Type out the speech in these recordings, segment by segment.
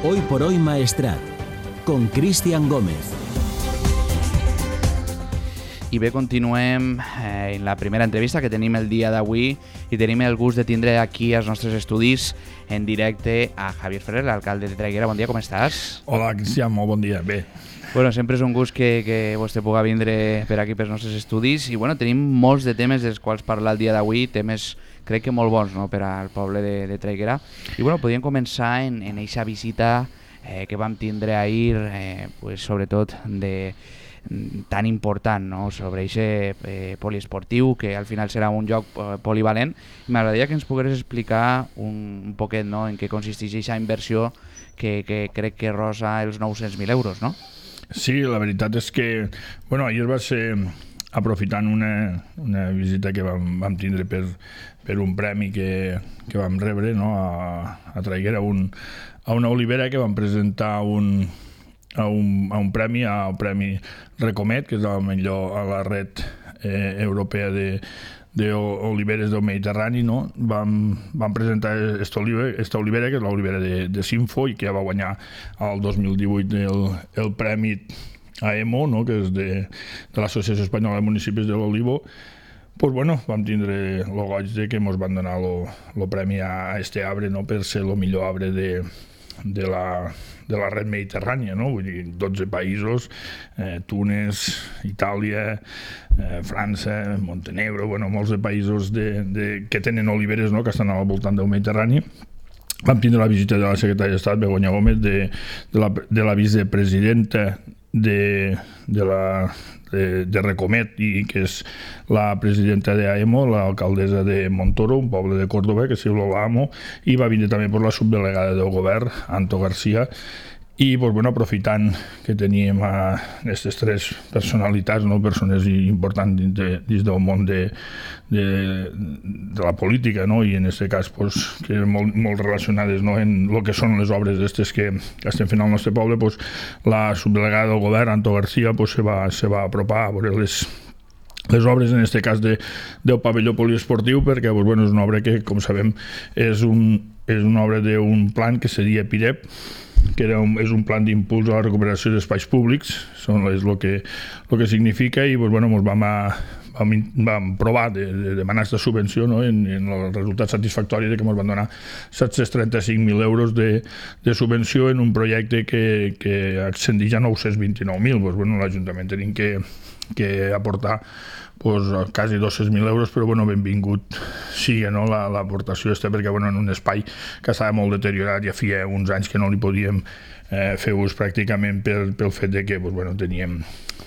Hoy por Hoy Maestrat, con Cristian Gómez. I bé, continuem en la primera entrevista que tenim el dia d'avui i tenim el gust de tindre aquí als nostres estudis en directe a Javier Ferrer, l'alcalde de Traiguera. Bon dia, com estàs? Hola, Cristian, molt bon dia. Bé. Bueno, sempre és un gust que vostè pugui vindre per aquí pels nostres estudis i bueno, tenim molts de temes dels quals parlar el dia d'avui, temes crec que molt bons, no?, per al poble de Traiguera. I bueno, podríem començar en eixa visita que vam tindre ahir, pues, sobretot tan important, no?, sobre aquest poliesportiu, que al final serà un joc polivalent. M'agradaria que ens pogueres explicar un poquet, no?, en què consisteix aquesta inversió que crec que rosa els 900.000 euros, no? Sí, la veritat és que bueno, ahir va ser aprofitant una visita que vam tindre per un premi que vam rebre, no?, a Traiguera, a una olivera que vam presentar a un premi, al Premi Recomet, que és el millor a la red europea d'oliveres del Mediterrani, no? Vam presentar esta olivera, que és l'olivera de Sinfo, i que ja va guanyar el 2018 el premi AEMO, no?, que és de l'Associació Espanyola de Municipis de l'Olivo. Pues bueno, vam tindre el goig de que ens van donar el premi a este arbre, no?, per ser el millor arbre de la red mediterrània, no? Vull dir, 12 països, Túnez, Itàlia, França, Montenegro, bueno, molts de països que tenen oliveres, no?, que estan al voltant del Mediterrani. Vam tindre la visita de la secretària d'Estat, Begoña Gómez, de la vicepresidenta de Recomet, i que és la presidenta d'AEMO, l'alcaldessa de Montoro, un poble de Córdoba, que es diu Lola Amo, i va vindre també per la subdelegada del govern, Anto García. I pues, bueno, aprofitant que teníem aquestes tres personalitats, no?, persones importants dins del món de la política, no?, i en aquest cas pues, que molt relacionades, no?, en el que són les obres aquestes que estem fent al nostre poble, pues, la subdelegada del govern, Anto García, pues, se va apropar a veure les obres, en aquest cas del pavelló poliesportiu, perquè pues, bueno, és una obra que, com sabem, és una obra d'un plan que seria PIREP, que és un plan d'impuls a la recuperació d'espais públics, és el que significa, i pues, bueno, vam provar de demanar aquesta subvenció, no?, en el resultat satisfactori de que ens van donar 735.000 euros de subvenció en un projecte que ascendeix a 929.000. Pues, bueno, l'Ajuntament tenim que aportar pues, quasi 200.000 euros, però bueno, benvingut sigui, no?, l'aportació perquè bueno, en un espai que estava molt deteriorat, ja feia uns anys que no li podíem fer ús pràcticament pel fet de que pues, bueno, teníem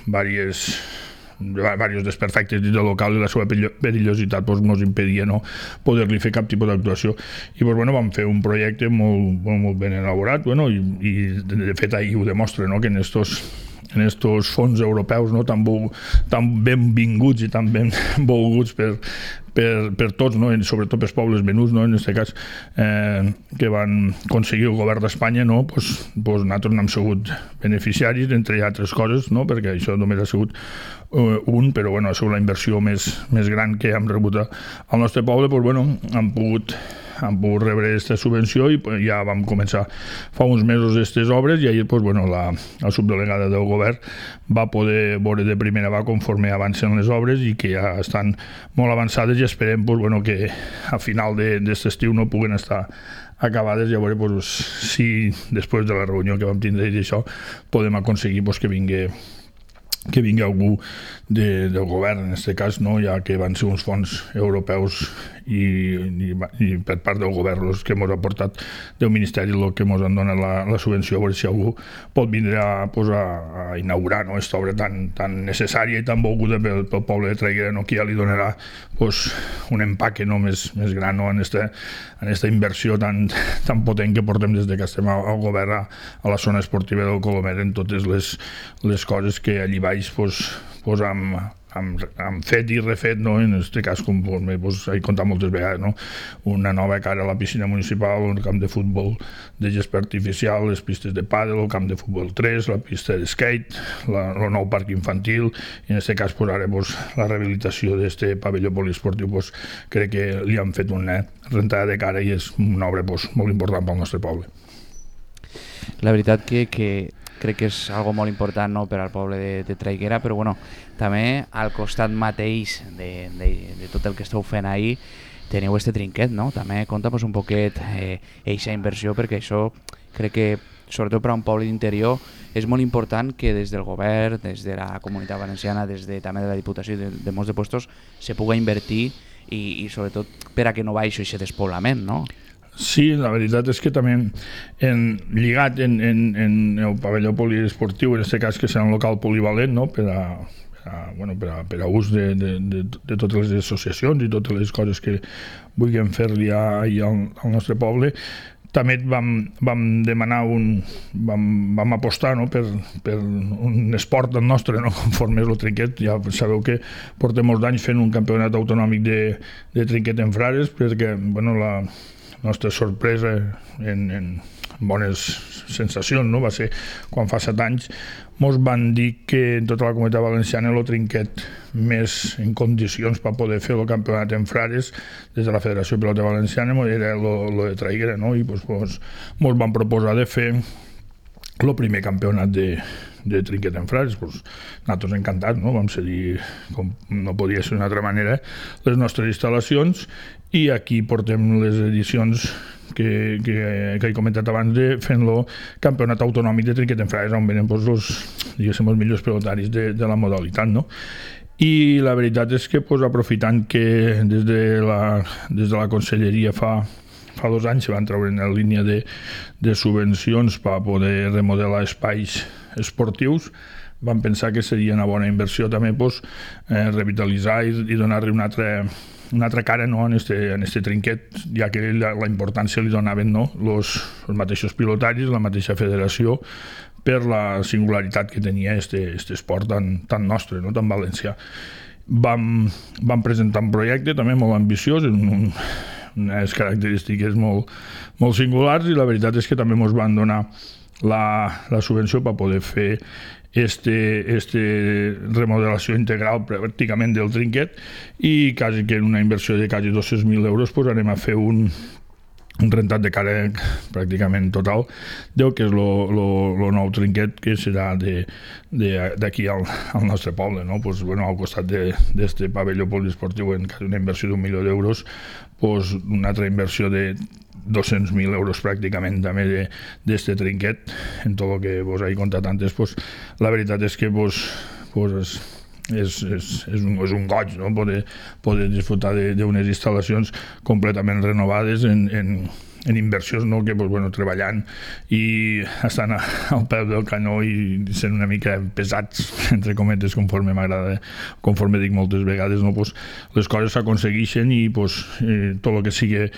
diversos desperfectes dins del local i la seva perillositat pues, ens impedia no poder-li fer cap tipus d'actuació. I pues, bueno, vam fer un projecte molt ben elaborat, bueno, i de fet ahir ho demostra, no?, que en estos fons europeus, no?, tan benvinguts i tan ben volguts per tots, no?, sobretot pels pobles menuts, no?, en aquest cas que van aconseguir el govern d'Espanya, no?, pues nosaltres n'hem sigut beneficiaris, entre altres coses, no?, perquè això només ha sigut però bueno, ha sigut la inversió més gran que hem rebut al nostre poble. Pues bueno, hem pogut rebre aquesta subvenció i ja vam començar fa uns mesos aquestes obres, i ahir pues, bueno, la subdelegada del govern va poder veure de primera mà conforme avancen les obres i que ja estan molt avançades, i esperem pues, bueno, que a final d'aquest estiu no puguen estar acabades. Ja veure pues, si després de la reunió que vam tindre i això podem aconseguir pues, que vingui algú del govern, en aquest cas, no? Ja que van ser uns fons europeus i per part del govern els que ens ha portat del Ministeri el que ens han donat la subvenció, a veure si algú pot vindre a inaugurar, no?, aquesta obra tan necessària i tan volguda pel poble de Traiguera, no?, que ja li donarà pues, un empaque, no?, més gran, no?, en aquesta inversió tan potent que portem des que estem al govern a la zona esportiva del Colomer, en totes les coses que allí baix pues, hem fet i refet, no? En aquest cas, com he contat moltes vegades, no? Una nova cara a la piscina municipal, un camp de futbol de gespa artificial, les pistes de pàdel, el camp de futbol 3, la pista de skate, el nou parc infantil, i en aquest cas pues, ara pues, la rehabilitació d'aquest pavelló poliesportiu pues, crec que li han fet una rentada de cara i és una obra pues, molt important pel nostre poble. La veritat que crec que és algo molt important, no?, per al poble de Traiguera, però bueno, també al costat mateix de tot el que esteu fent ahir teniu este trinquet, no? També conta'm un poquet eixa inversió, perquè això crec que sobretot per a un poble d'interior és molt important que des del govern, des de la Comunitat Valenciana, també de la Diputació i de molts de puestos se puga invertir i sobretot per a que no baixi aquest despoblament, no? Sí, la veritat és que també lligat en el pavelló poliesportiu, en aquest cas que serà un local polivalent, no?, per a ús de totes les associacions i totes les coses que vulguem fer-li al nostre poble. També vam demanar vam apostar, no?, per un esport nostre, no?, conforme és el trinquet. Ja sabeu que portem molts anys fent un campionat autonòmic de trinquet en Frares, perquè la nostra sorpresa en bones sensacions, no?, va ser quan fa 7 anys mos van dir que en tota la Comunitat Valenciana el trinquet més en condicions per poder fer el campionat en Frares des de la Federació de Pilota Valenciana era el de Traiguera, no?, i mos van proposar de fer el primer campionat de trinquet en Frares. Nosaltres encantats, no?, vam cedir, com no podia ser d'una altra manera, les nostres instal·lacions, i aquí portem les edicions que he comentat abans de fent-lo campionat autonòmic de trinquet en Frares, on venen els millors pilotaris de la modalitat, no? I la veritat és que aprofitant que des de la Conselleria fa 2 anys se van treure en línia de subvencions per poder remodelar espais esportius, vam pensar que seria una bona inversió també revitalitzar i donar-li una altra cara, no?, en este trinquet, ja que la importància li donaven, no?, els mateixos pilotaris, la mateixa federació, per la singularitat que tenia este esport tan nostre, no?, tan valencià. Vam presentar un projecte també molt ambiciós, unes característiques molt singulars, i la veritat és que també ens van donar la subvenció per poder fer remodelació integral pràcticament del trinquet, i quasi que en una inversió de quasi 200.000 euros anem a fer un rentat de cara pràcticament total del que és el nou trinquet, que serà d'aquí al nostre poble, no? Al costat d'aquest pavelló poliesportiu, en una inversió d'1 milió d'euros, una altra inversió de 200.000 euros pràcticament també d'aquest trinquet. En tot el que vos he contat antes, la veritat és que és un goig, no?, poder disfrutar d'unes instal·lacions completament renovades en inversions, no?, que treballant i estan al peu del canó i sent una mica pesats, entre cometes, conforme dic moltes vegades, no?, les coses s'aconsegueixen, i tot el que sigui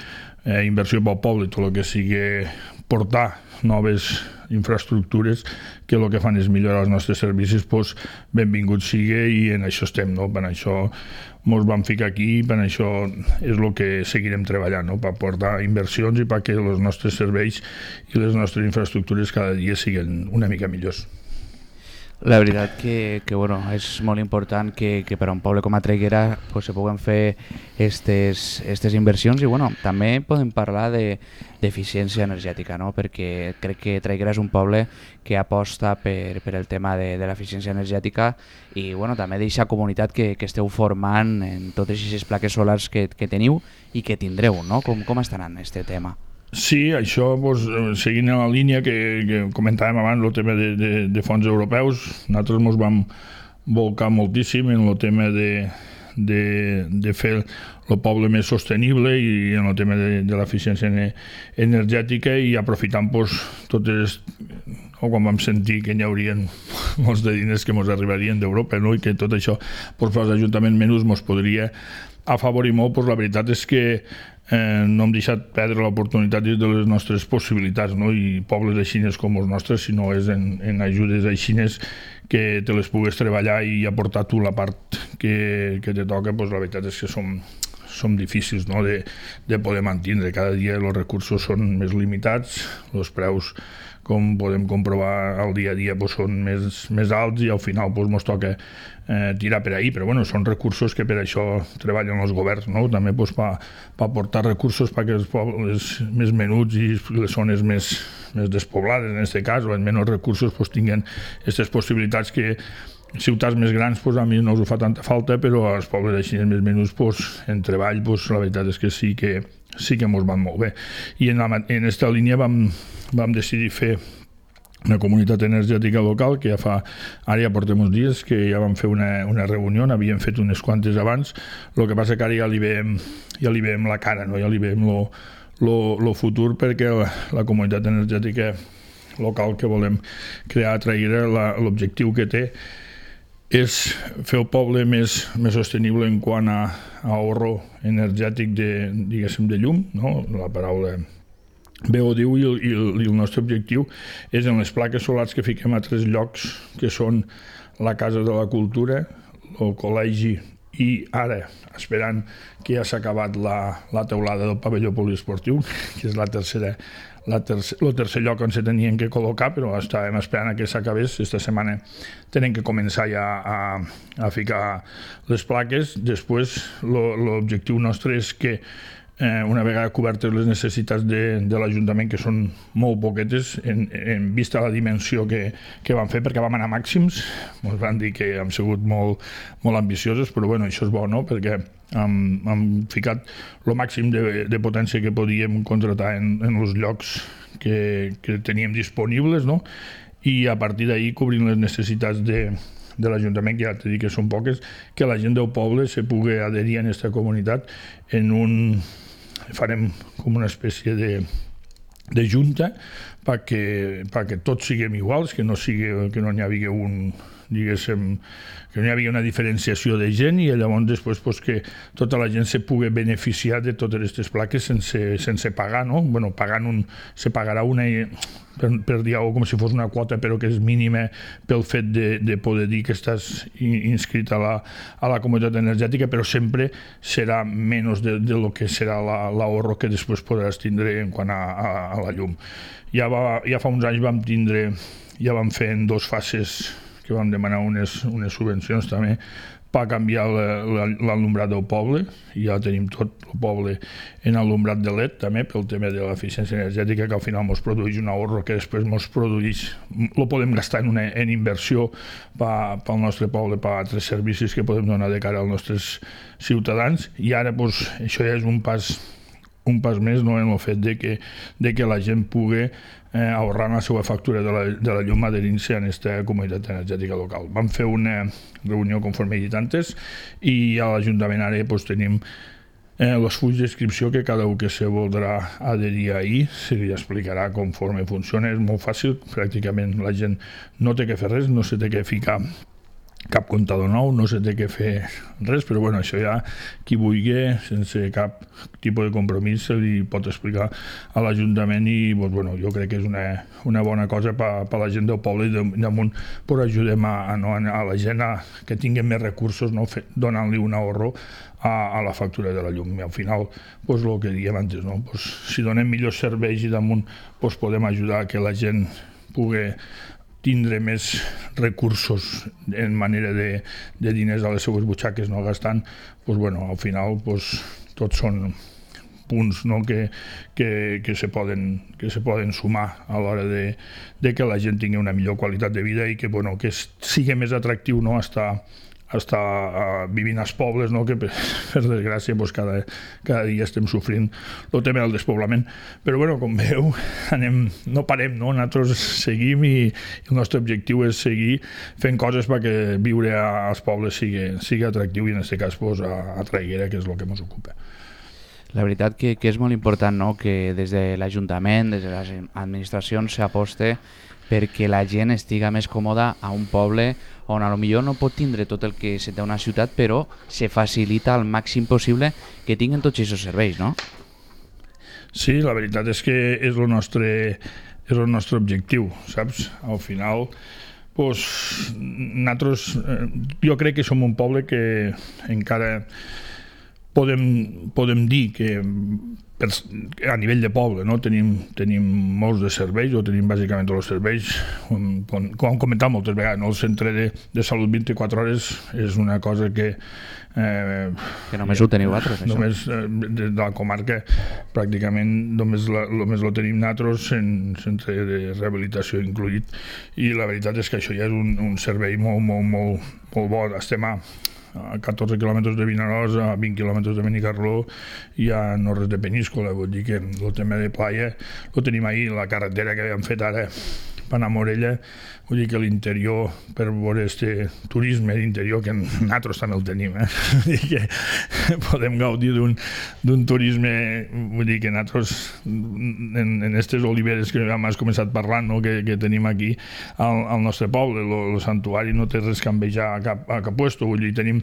inversió pel poble, tot el que sigui portar noves infraestructures que el que fan és millorar els nostres servicis, benvingut sigui, i en això estem, no? Per això ens vam ficar aquí, per això és el que seguirem treballant, no? Per portar inversions i perquè els nostres serveis i les nostres infraestructures cada dia siguin una mica millors. La veritat que és molt important que per a un poble com a Traiguera se puguen fer aquestes inversions, i també podem parlar d'eficiència energètica, no? Perquè crec que Traiguera és un poble que aposta per el tema de l'eficiència energètica, i també d'aquesta comunitat que esteu formant en totes aquestes plaques solars que teniu i que tindreu, no? Com estarà en aquest tema? Sí, això, seguint en la línia que comentàvem abans, el tema de fons europeus, nosaltres ens vam volcar moltíssim en el tema de fer el poble més sostenible i en el tema de l'eficiència energètica, i aprofitant quan vam sentir que hi haurien molts de diners que ens arribarien d'Europa, no?, i que tot això els ajuntaments menys ens podria afavorir molt, la veritat és que no hem deixat perdre l'oportunitat de les nostres possibilitats, no? I pobles aixines com els nostres, si no és en ajudes aixines que te les pugues treballar i aportar tu la part que te toca, la veritat és que som difícils, no?, de poder mantenir. Cada dia els recursos són més limitats, els preus, com podem comprovar al dia a dia, doncs són més alts i al final doncs ens toca tirar per ahí, però bueno, són recursos que per això treballen els governs, no?, també doncs, per aportar recursos perquè els pobles més menuts i les zones més despoblades, en aquest cas, o amb menys recursos, doncs, tinguin aquestes possibilitats que ciutats més grans doncs, a mi no us fa tanta falta, però als pobles així més menuts, doncs, en treball, doncs, la veritat és que sí que ens van molt bé. I en aquesta línia vam decidir fer una comunitat energètica local que ara ja portem uns dies que ja vam fer una reunió, n'havíem fet unes quantes abans, el que passa que ara ja li veiem la cara, no? Ja li veiem el futur, perquè la comunitat energètica local que volem crear a Traiguera, l'objectiu que té és fer el poble més sostenible en quant a ahorro energètic de llum, no? La paraula bé ho diu, i el nostre objectiu és en les plaques solars que fiquem a 3 llocs, que són la Casa de la Cultura, el Col·legi i ara, esperant que ja s'ha acabat la teulada del pavelló poliesportiu, que és el tercer lloc on se tenien que col·locar, però estàvem esperant que s'acabés. Esta setmana tenen que començar ja a ficar les plaques. Després, l'objectiu nostre és que una vegada cobertes les necessitats de l'Ajuntament, que són molt poquetes en vista la dimensió que vam fer, perquè vam anar màxims, ens van dir que hem sigut molt ambiciosos, però bueno, això és bo, no?, perquè hem ficat el màxim de potència que podíem contratar en els llocs que teníem disponibles, no?, i a partir d'ahir cobrint les necessitats de l'Ajuntament, que ja t'he dit que són poques, que la gent del poble se pugui adherir a aquesta comunitat farem com una espècie de junta perquè tots siguem iguals, que no n'hi hagi que no hi havia una diferenciació de gent, i llavors després pues, que tota la gent se pugui beneficiar de totes aquestes plaques sense pagar, no? Bueno, se pagarà una per dir alguna cosa, com si fos una quota, però que és mínima pel fet de poder dir que estàs inscrit a la comunitat energètica, però sempre serà menys de lo que serà l'ahorro que després podràs tindre en quant a la llum. Ja fa uns anys ja vam fer en 2 fases que vam demanar unes subvencions també per canviar l'alumbrad del poble, i ja tenim tot el poble en alumbrad de LED també, pel tema de l'eficiència energètica, que al final ens produeix un ahorro que després lo podem gastar en inversió pel nostre poble, per altres servicis que podem donar de cara als nostres ciutadans. I ara això ja és un pas més, no?, en el fet de que la gent pugui ahorrar la seva factura de la llum adherint-se a aquesta comunitat energètica local. Vam fer una reunió conforme he dit antes, i a l'Ajuntament ara tenim els fulls d'inscripció que cada un que se voldrà adherir ahir se li explicarà conforme funciona. És molt fàcil, pràcticament la gent no té que fer res, no se té que ficar cap comptador nou, no se té que fer res, però bueno, això ja qui vulgui, sense cap tipus de compromís, se li pot explicar a l'Ajuntament, i bueno, jo crec que és una bona cosa per la gent del poble, i damunt ajudem a la gent que tinguin més recursos, no? Donant-li un ahorro a la factura de la llum. I al final, el que dèiem antes, no? Si donem millors serveis i damunt podem ajudar a que la gent pugui tindre més recursos en manera de diners a les seues butxaques, no gastant, al final tots són punts, no?, que se poden sumar a l'hora de que la gent tingui una millor qualitat de vida, i que sigui més atractiu, no?, estar vivint als pobles, no?, que per desgràcia cada dia estem sofrint el tema del despoblament. Però com veu, no parem, no? Nosaltres seguim, i el nostre objectiu és seguir fent coses perquè viure als pobles sigui atractiu, i en aquest cas a Traiguera, que és el que ens ocupa. La veritat que és molt important, no?, que des de l'Ajuntament, des de les administracions s'aposte perquè la gent estiga més còmoda a un poble on potser no pot tindre tot el que se té a una ciutat, però se facilita al màxim possible que tinguin tots aquests serveis, no? Sí, la veritat és que és el nostre objectiu, saps? Al final, nosaltres, jo crec que som un poble que encara podem dir que a nivell de poble, no? tenim molts de serveis, o tenim bàsicament tots els serveis, com hem comentat moltes vegades, no? El centre de salut 24 hores és una cosa que només ho teniu vosaltres, això. Només de la comarca pràcticament només lo tenim nosaltres, en centre de rehabilitació incluït, i la veritat és que això ja és un servei molt bo. Estem a 14 quilòmetres de Vinaròs, a 20 quilòmetres de Benicarló, i a no res de Peníscola, vull dir que el tema de playa ho tenim ahir, la carretera que havíem fet ara per anar a Morella, vull dir que l'interior, per veure este turisme d'interior, que nosaltres també el tenim, vull dir que podem gaudir d'un turisme, vull dir que nosaltres, en aquestes oliveres que hem començat parlant, no? que tenim aquí al nostre poble, el santuari no té res que envejar a cap puesto, vull dir, tenim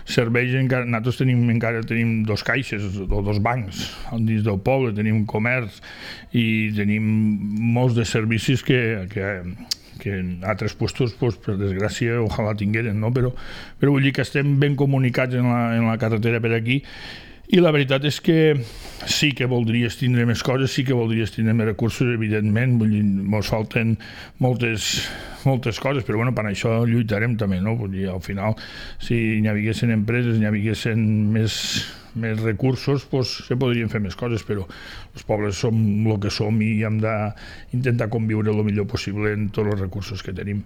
serveis, nosaltres encara tenim 2 caixes o 2 bancs dins del poble, tenim comerç i tenim molts de servicis que en altres puestos, pues, per desgràcia, ojalà tingueren, no? Però vull dir que estem ben comunicats en la carretera per aquí, i la veritat és que sí que voldries tindre més coses, sí que voldries tindre més recursos, evidentment, vull dir, ens falten moltes coses, però bueno, per això lluitarem també, no? Vull dir, al final, si n'hi haguessin empreses, n'hi haguessin més recursos, pues, se podrien fer més coses, però els pobles som el que som i hem d'intentar conviure el millor possible en tots els recursos que tenim.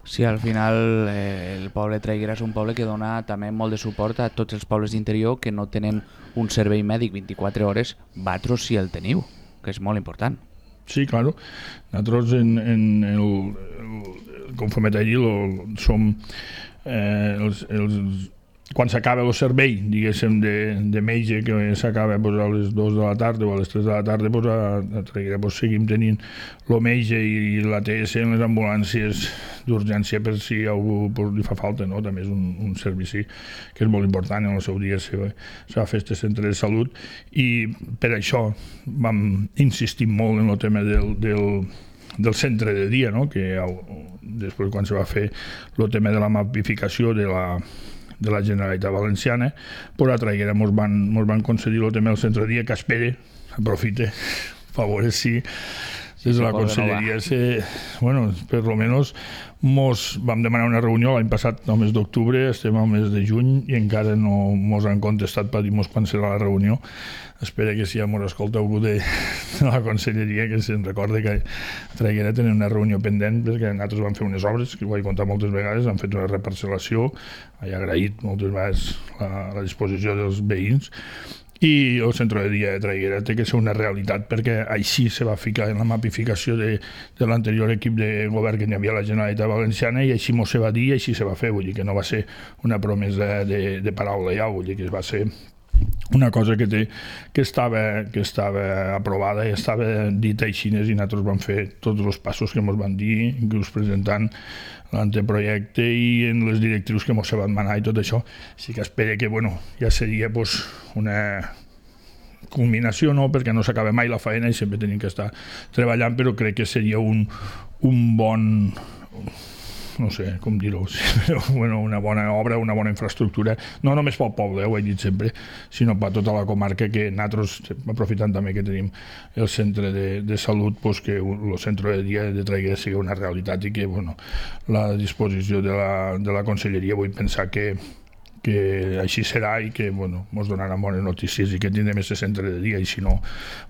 Sí, al final el poble de Traiguera és un poble que dona també molt de suport a tots els pobles d'interior que no tenen un servei mèdic 24 hores, vosaltres sí el teniu, que és molt important. Sí, claro. Nosaltres, conforme t'he dit, som quan s'acaba el servei, diguéssim, de metge, que s'acaba a les 2 de la tarda o a les 3 de la tarda, a Traiguera seguim tenint el metge i l'ATS en les ambulàncies d'urgència per si algú li fa falta, no? També és un servici que és molt important. En el seu dia s'ha fet este centre de salut, i per això vam insistir molt en el tema del centre de dia, no? Que després, quan se va fer el tema de la mapificació de la Generalitat Valenciana, però a Traiguera ens van concedir el tema del centre de dia, que aprofite, per veure si des de la conselleria per lo menos mos vam demanar una reunió l'any passat al mes d'octubre, estem al mes de juny i encara no mos han contestat per dir-nos quan serà la reunió. Espero que si ja mos escolta algú de la conselleria que se'n recorde que a Traiguera tenen una reunió pendent, perquè nosaltres vam fer unes obres, que ho he contat moltes vegades, han fet una reparcel·lació, he agraït moltes vegades la disposició dels veïns, i el centre de dia de Traiguera té que ser una realitat, perquè així se va ficar en la mapificació de l'anterior equip de govern que hi havia a la Generalitat Valenciana, i així mos se va dir i així se va fer. Vull dir que no va ser una promesa de paraula ja, vull dir que va ser una cosa que estava aprovada i estava dita així, i nosaltres vam fer tots els passos que ens van dir, inclús presentant l'anteprojecte i en les directrius que ens van manar i tot això. Així que espero que ja seria una culminació, no, perquè no s'acaba mai la feina i sempre tenim que estar treballant, però crec que seria un bon, no sé com dir-ho, una bona obra, una bona infraestructura, no només pel poble, ho he dit sempre, sinó per tota la comarca, que nosaltres, aprofitant també que tenim el centre de salut, que el centre de dia de Traiguera sigui una realitat, i que la disposició de la conselleria vull pensar que així serà, i que ens donaran bones notícies i que tindrem aquest centre de dia, i si no,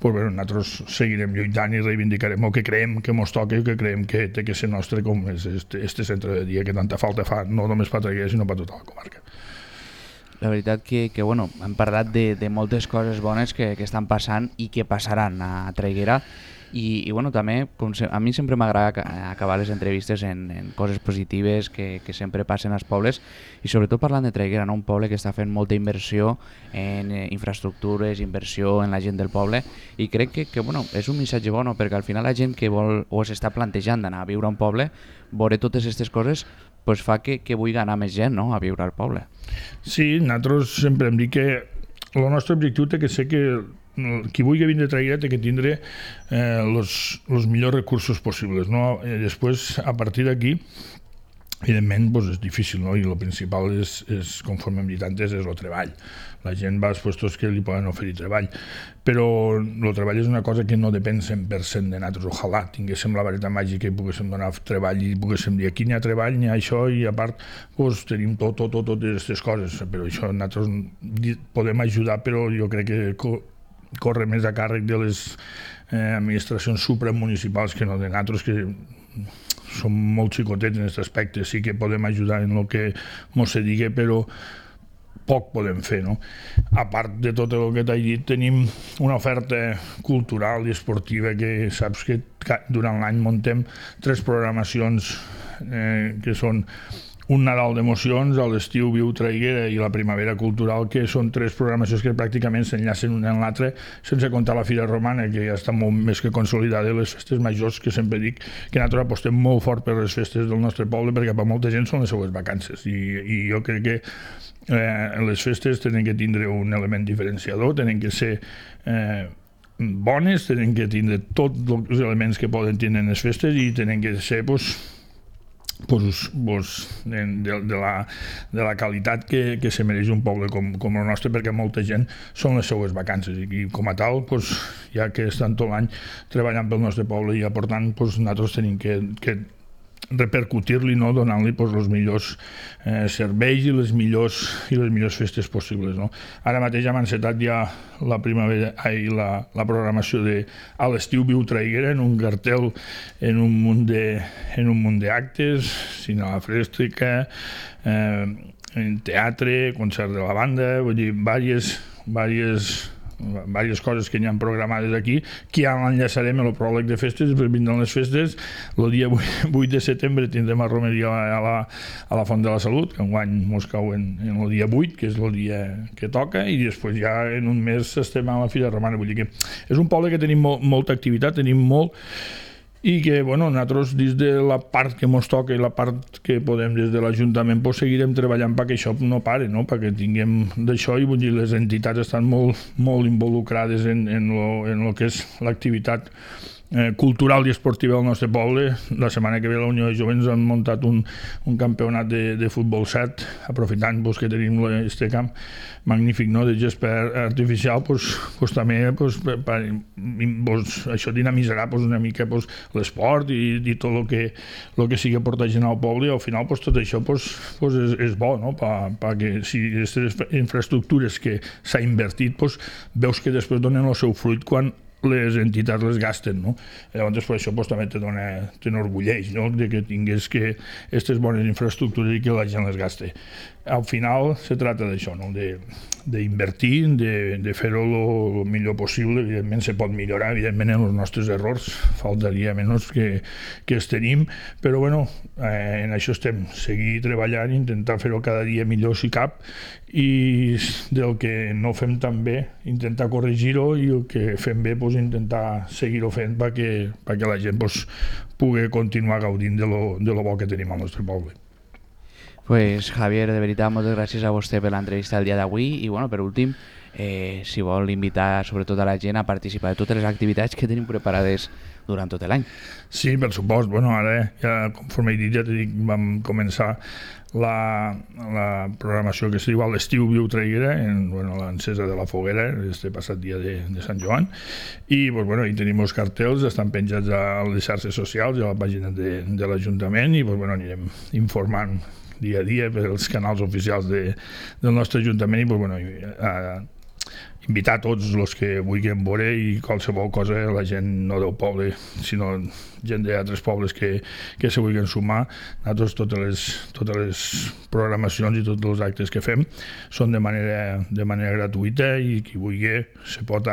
nosaltres seguirem lluitant i reivindicarem el que creiem que ens toca i que creiem que té que ser nostre, com és este centre de dia que tanta falta fa, no només per Traiguera sinó per tota la comarca. La veritat que hem parlat de moltes coses bones que estan passant i que passaran a Traiguera, i també a mi sempre m'agrada acabar les entrevistes en coses positives que sempre passen als pobles, i sobretot parlant de Traiguera, un poble que està fent molta inversió en infraestructures, inversió en la gent del poble, i crec que és un missatge bo, perquè al final la gent que vol o s'està plantejant d'anar a viure a un poble, veure totes aquestes coses fa que vulgui anar més gent a viure al poble. Sí, nosaltres sempre hem dit que el nostre objectiu té que ser que qui vulgui vindre a Traiguera té que tindre els millors recursos possibles, no? Després, a partir d'aquí, evidentment és difícil, no? I el principal és, conforme hem dit antes, és el treball. La gent va als puestos que li poden oferir treball, però el treball és una cosa que no depèn 100% de nosaltres. Ojalà tinguéssim la vareta màgica i poguéssim donar treball i poguéssim dir aquí n'hi ha treball, n'hi ha això, i a part tenim totes aquestes coses, però això nosaltres podem ajudar, però jo crec que corre més a càrrec de les administracions supramunicipals que no de nosaltres, que som molt xicotets en aquest aspecte. Sí que podem ajudar en el que mos se digui, però poc podem fer, no? A part de tot el que t'he dit, tenim una oferta cultural i esportiva que saps que durant l'any muntem 3 programacions que són un Nadal d'emocions, a l'estiu Viu Traiguera i la Primavera Cultural, que són 3 programacions que pràcticament s'enllacen una en l'altra, sense comptar la Fira Romana, que ja està molt més que consolidada, i les festes majors, que sempre dic que nosaltres apostem molt fort per les festes del nostre poble, perquè per molta gent són les seues vacances, i jo crec que les festes tenen que tindre un element diferenciador, tenen que ser bones, tenen que tindre tots els elements que poden tindre les festes, i tenen que ser de la qualitat que se mereix un poble com el nostre, perquè molta gent són les seues vacances, i com a tal, ja que estan tot l'any treballant pel nostre poble i aportant, nosaltres tenim que repercutir-li, no? Donant-li els millors serveis i les millors festes possibles, no? Ara mateix hem encetat ja la primavera i la programació de a l'estiu Viu Traiguera, en un cartel, en un munt d'actes, cinema frèstica, en teatre, concert de la banda, vull dir, diverses coses que n'hi ha programades aquí, que ja l'enllaçarem a el pròleg de festes. Després vindran les festes, el dia 8 de setembre tindrem a romeria a la Font de la Salut, que enguany mos cau en el dia 8, que és el dia que toca, i després ja en un mes estem a la Fira Romana. Vull dir que és un poble que tenim molta activitat, tenim molt, i que, nosaltres, dins de la part que ens toca i la part que podem des de l'Ajuntament, seguirem treballant perquè això no pare, no? Perquè tinguem d'això, i vull dir, les entitats estan molt involucrades en el que és l'activitat cultural i esportiva del nostre poble. La setmana que ve la Unió de Jovents han muntat un campionat de futbol 7, aprofitant que tenim aquest camp magnífic, no?, de gespa artificial, també això dinamitzarà una mica l'esport i tot el que sigui aportar gent al poble, i al final tot això és bo, no?, perquè si aquestes infraestructures que s'ha invertit, veus que després donen el seu fruit quan les entitats les gasten, no? Llavors, per això també t'enorgulleix, no?, de que tingués que aquestes bones infraestructures i que la gent les gaste. Al final se trata d'això, no?, d'invertir, de fer-ho el millor possible. Evidentment se pot millorar, evidentment en els nostres errors faltaria menys que els tenim, però en això estem, seguir treballant, intentar fer-ho cada dia millor si cap, i del que no fem tan bé intentar corregir-ho, i el que fem bé intentar seguir-ho fent perquè la gent pugui continuar gaudint de lo bo que tenim al nostre poble. Pues Javier, de veritat, moltes gràcies a vostè per l'entrevista del dia d'avui, i per últim, si vol invitar sobretot a la gent a participar de totes les activitats que tenim preparades durant tot l'any. Sí, per supost. Ara, ja, conforme he dit, ja t'he dit, vam començar la programació que es diu a l'estiu Viu Traiguera, l'encesa de la foguera, este passat dia de Sant Joan, i hi tenim els cartells, estan penjats a les xarxes socials i a la pàgina de l'Ajuntament, i anirem informant dia a dia per als canals oficials del nostre Ajuntament, i invitar tots els que vulguin veure, i qualsevol cosa, la gent no del poble, sinó gent d'altres pobles que se vulguin sumar. Nosaltres totes les programacions i tots els actes que fem són de manera gratuïta, i qui vulgui se pot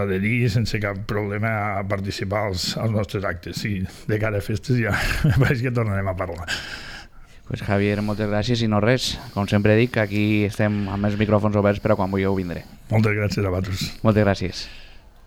adherir sense cap problema a participar als nostres actes. I de cara a festes ja veig que tornarem a parlar. Pues Javier, moltes gràcies, i no res, com sempre dic, aquí estem amb els micròfons oberts per a quan vulgueu vindre. Moltes gràcies a vosaltres. Moltes gràcies.